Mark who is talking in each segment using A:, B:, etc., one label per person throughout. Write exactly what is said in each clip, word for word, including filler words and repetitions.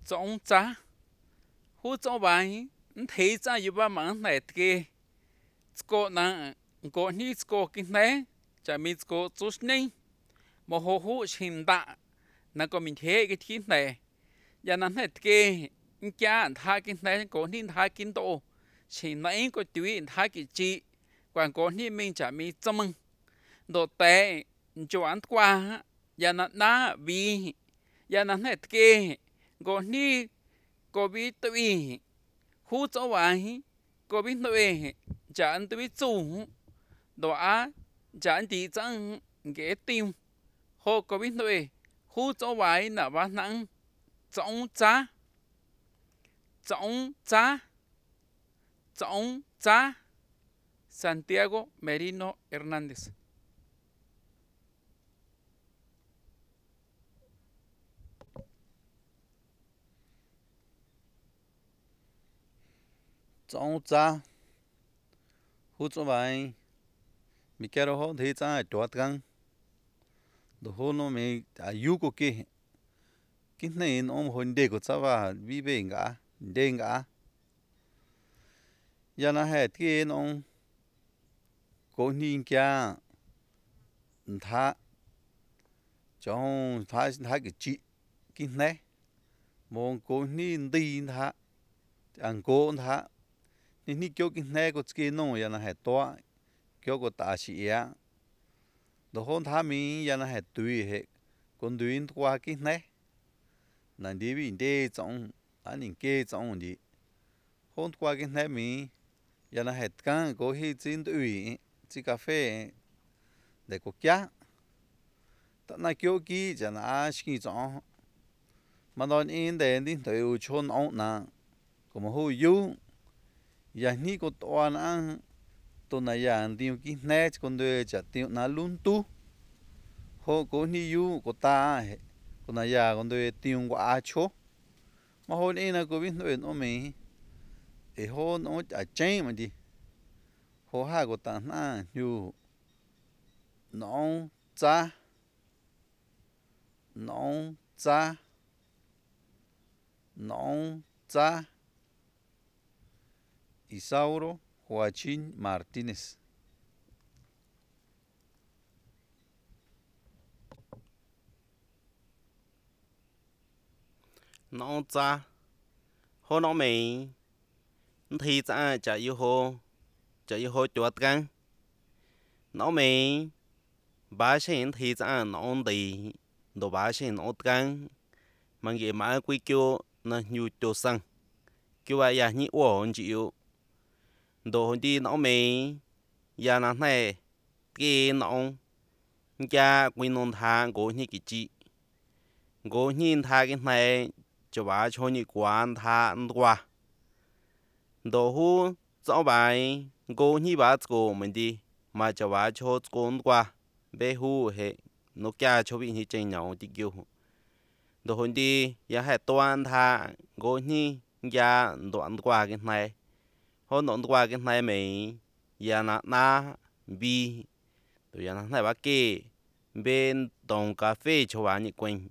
A: Trong cha hú trong bài thấy cha yêu ba mang này kê cô na cô ni cô kinh này chả mi cô chút này mà hú hú xin đã na có mình thế cái thiên này giờ nãy này kê cha thà kinh này cô ni thà kinh độ xin này có tùy thà cái chi quan cô ni mình chả mi chăm mừng đồ tệ cho ăn qua giờ nãy na vì giờ nãy này kê cô ni cô bị tùy hú cho bài cô biết nói chả anh tôi biết chủ đồ á chả anh tí chẳng ghé tim hồ cô biết nói hú cho bài là ba nắng trọng giá trọng giá trọng giá Santiago Merino Hernández.
B: Trong cha hút cho bài mi kêu họ thấy cha chuột căng đồ họ nó mi à yêu cô kia cái này nó hồn đề của cha và vi về ngã đề ngã giờ nó hết cái nó cố nhìn kia thà trong thà thà cái chị cái này mong cố nhìn đi thà ăn cố thà nên ni kêu cái này có cái nó giờ nó hết toa kêu có ta sĩ á đồ hôn thà mi giờ nó hết tùy hết con tùy qua cái này nên đi bên đây trong anh nhìn kia trong đi hôn qua cái này mi giờ nó hết căng có hi chín tùy chỉ cà phê để có giá tận này kêu kỹ giờ nó ăn cái trong mà nói in để đi tới chôn ông nè có một hồi yêu giờ ní có toan ăn tôi này giờ tiêu cái này con đôi chả tiêu nó luôn tu hồ có ní yêu có ta con này giờ con đôi tiêu quá chó mà hồi này là có biết nói nó mày để hồ nó chả chơi mà đi hồ hai có ta na yêu nó cha nó cha nó cha Isauro Joaquín Martínez.
C: Nó cha hồ nó mày thì cha chả yêu hồ chả yêu hồ chuột căng nó mày ba sen thì cha nó đi đồ ba sen nó căng mà cái mà quy kêu nó nhiều chỗ sang kêu ai ya như ổn chịu đồ đi nó mày ya nó này cái nó cha quy nôn thang của như cái chị của nhìn thang cái này cho bà cho như quán thang qua đồ hu cho bài của như bà của mình đi mà cho bà cho con qua bé hu hệ nó kia cho bị như trên nhau thì kêu đồ hôn đi ya hệ toàn thang của như ya đoạn qua cái này hôn đoạn qua cái này mày ya na na bi rồi ya na này bà kê bên đồng cà phê cho bà như quên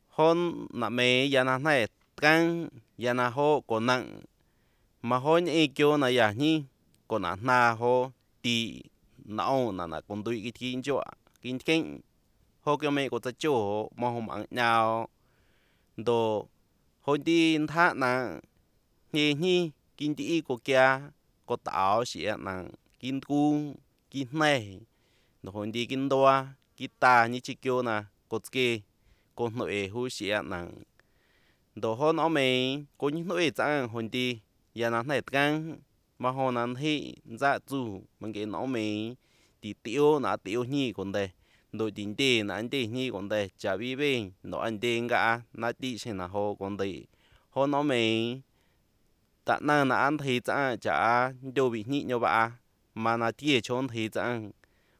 C: hôn nà mày ya na này căng ya na ho còn nặng mà hôn ấy kêu na ya nhỉ còn nặng na ho ti nao na na còn đuôi cái thiên cho kinh kinh ho kêu mày có ta chỗ mà ho mang nhau đồ hôn đi thà na nhỉ nhỉ kinh đi có kia có tao xịa na kinh cung kinh này đồ hôn đi kinh đua kinh ta như chỉ kêu na có cái con nội hú xịa na đồ hôn ở mày có những nội chẳng hôn đi ya na này căng mà hôn ăn thì dạ chủ mình cái nó mày thì tiêu na tiêu nhỉ còn đây đồ tiền tiền na anh tiền nhỉ còn đây chả bị bên nó anh tiền cả na đi xem na hồ còn đây hôn nó mày tạ na na ăn thì chẳng chả đâu bị nhị nhau bà mà na tiề chôn thì chẳng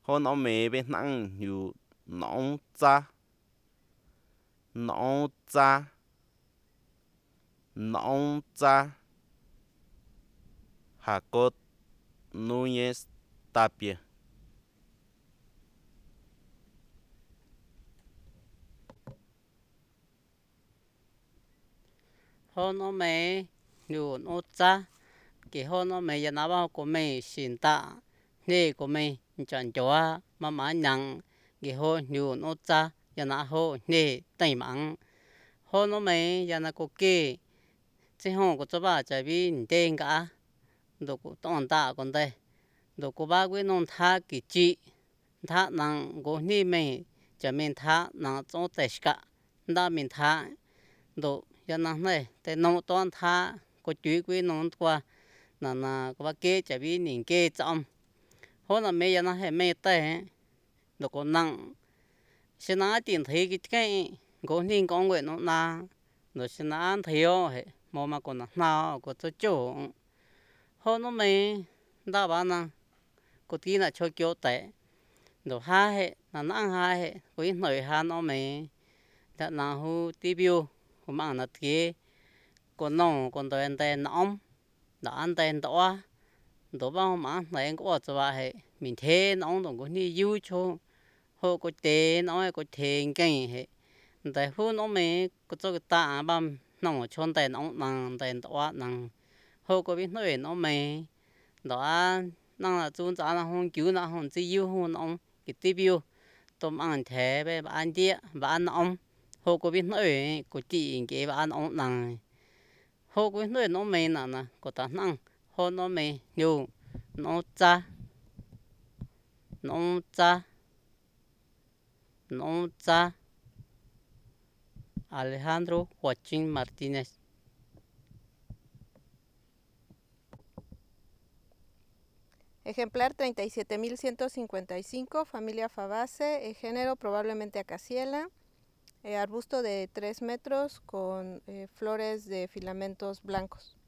C: hôn nó mày bên năng nhiều nóng cha nóng cha nóng cha Jacob Núñez Tapia.
D: hô nó mẹ nhiều nó cha cái hô nó mẹ giờ nào bao của mẹ xin ta nè của mẹ chọn chúa mà mà nhang cái hô nhiều nó cha giờ nào hô nè tay mắng hô nó mẹ giờ nào có kê chứ không có cho bà chạy vì đen cả đồ của toàn ta còn đây đồ của ba quý nông tha cái chị tha năng của ni mẹ cho mình tha năng trong tất cả đã mình tha đồ giờ năng nàyแต่nông toàn tha có chuối quý nông qua là là có ba kê chạy vì nhìn kê trong hôm là mẹ giờ năng hay mẹ tay đồ có năng xin nói tiền thấy cái cái có nên con nguyện nó na đồ xin nói thiếu hệ mà mà còn nào có cho chỗ hôm nó mày đã bảo năng có tí là cho kiểu tệ đồ hai hệ là năng hai hệ có ít người hai nó mày đã là hu tiviu của mạng là kia còn nông còn đời anh tên nóng đã anh tên đó đồ bao mà này có cho bà hệ mình thế nóng đồng có đi yêu cho hồ có tiền nói có tiền cái hệ tại hu nó mày có cho cái ta băm nông chôn tên nóng năng tên đó năng hồ có biết nói nó mày đó năng là chúng ta là không cứu nó không chỉ yêu hôn ông cái tiviu tôm ăn thế về ăn đĩa và ăn ông hồ có biết nói có chỉ cái và ăn ông năng hồ có biết nói nó mày nè nè có ta năng hồ nó mày nhiều nó cha nó cha nó cha Alejandro Joaquín Martínez.
E: Ejemplar treinta y siete mil ciento cincuenta y cinco, familia Fabaceae, eh, género probablemente Acaciela, eh, arbusto de tres metros con eh, flores de filamentos blancos.